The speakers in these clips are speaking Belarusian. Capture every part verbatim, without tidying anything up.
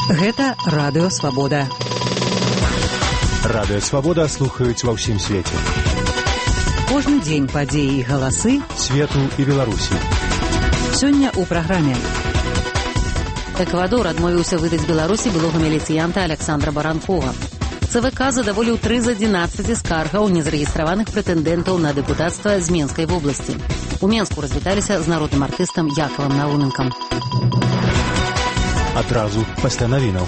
Гэта Радыё Свабода. Радыё Свабода слухаюць ва ўсім свеце. Кожны дзень падзеі і галасы свету і Беларусі. Сёння ў праграме. Эквадор адмовіўся выдаць Беларусі былога міліцыянта Александра Баранкова. ЦВК задаволіў тры з адзінаццаці скаргаў незарэгістраваных прэтэндэнтаў на дэпутацтва з Менскай вобласці. У Менску развіталіся з народным артыстам Якавам Науненкам. Адразу пасля навінаў.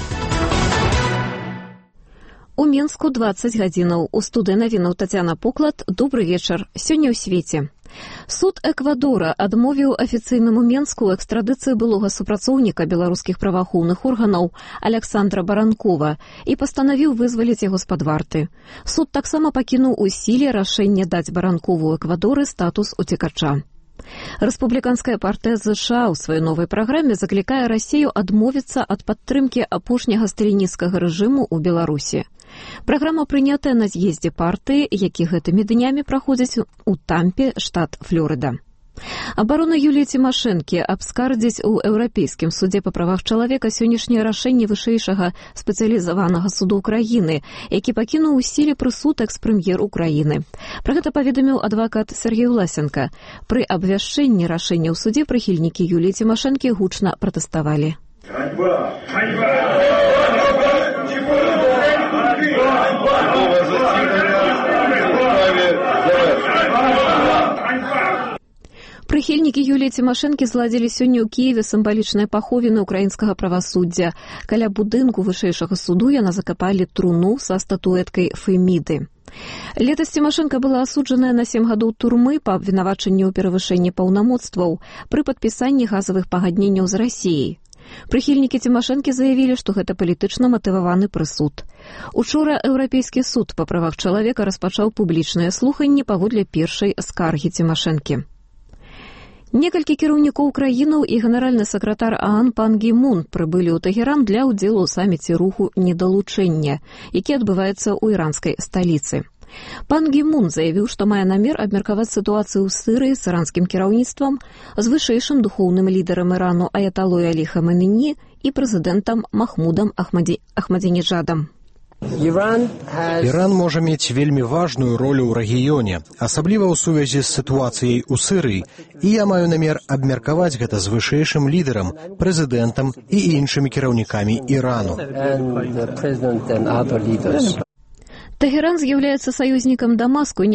У Менску дваццаць гадзінаў. У студыі навінаў Тацяна Поклад. Добры вечар. Сёння ў свеце. Суд Эквадора адмовіў афіцыйнаму Менску экстрадыцыі былога супрацоўніка беларускіх праваахоўных органаў Александра Баранкова і пастанавіў вызваліць яго з-пад варты. Суд таксама пакінуў у сіле рашэнне даць Баранкову ў Эквадоры статус уцекача. Рэспубліканская партыя ЗША ў сваёй новай праграме заклікае Расію адмовіцца ад падтрымкі апошняга сталінісцкага рэжыму ў Беларусі. Праграма прынятая на з'ездзе партыі, які гэтымі днямі праходзіць у Тампе, штат Флорыда. Абарона Юліі Цімашэнкі абскардзіць у Еўрапейскім судзе па правах чалавека сённяшняе рашэнне вышэйшага спецыялізаванага суду ўкраіны, які пакінуў у сіле прысуд экс-прэм'ер Украіны. Пра гэта паведаміў адвакат Сергей Власенко. Пры абвяшчэнні рашэння ў судзе прыхільнікі Юліі Цімашэнкі гучна пратэставалі. Ганьба! Ганьба! Прыхільнікі Юліі Цімашэнкі зладзілі сёння ў Кіеве сімвалічныя паховіны ўкраінскага правасуддзя. Каля будынку вышэйшага суду яна закапалі труну са статуэткай Феміды. Летась Цімашэнка была асуджаная на сем гадоў турмы па абвінавачанні ў перавышэнні паўнамоцтваў пры падпісанні газавых пагадненняў з Расіяй. Прыхільнікі Цімашэнкі заявілі, што гэта палітычна матываваны прысуд. Учора Еўрапейскі суд па правах чалавека распачаў публічныя слуханні паводле першай скаргі Цімашэнкі. Некалькі кіраўнікоў краінаў і генеральны сакратар ААН Пан Гі Мун прыбылі ў Тэгеран для ўдзелу ў саміце руху недалучэння, які адбываецца ў іранскай сталіцы. Пан Гі Мун заявіў, што мае намер абмеркаваць сітуацыю ў Сырыі з іранскім кіраўніцтвам, з вышэйшым духоўным лідарам Ірану Аяталой Алі Хаменеі і прэзідэнтам Махмудам Ахмаді... Ахмадзінеджадам. Іран можа мець вельмі важную ролю ў рэгіёне, асабліва ў сувязі з сітуацыяй у Сырыі, і я маю намер абмеркаваць гэта з вышэйшым лідарам, прэзідэнтам і іншымі кіраўнікамі Ірану. Тэгеран з'яўляецца саюзнікам Дамаску і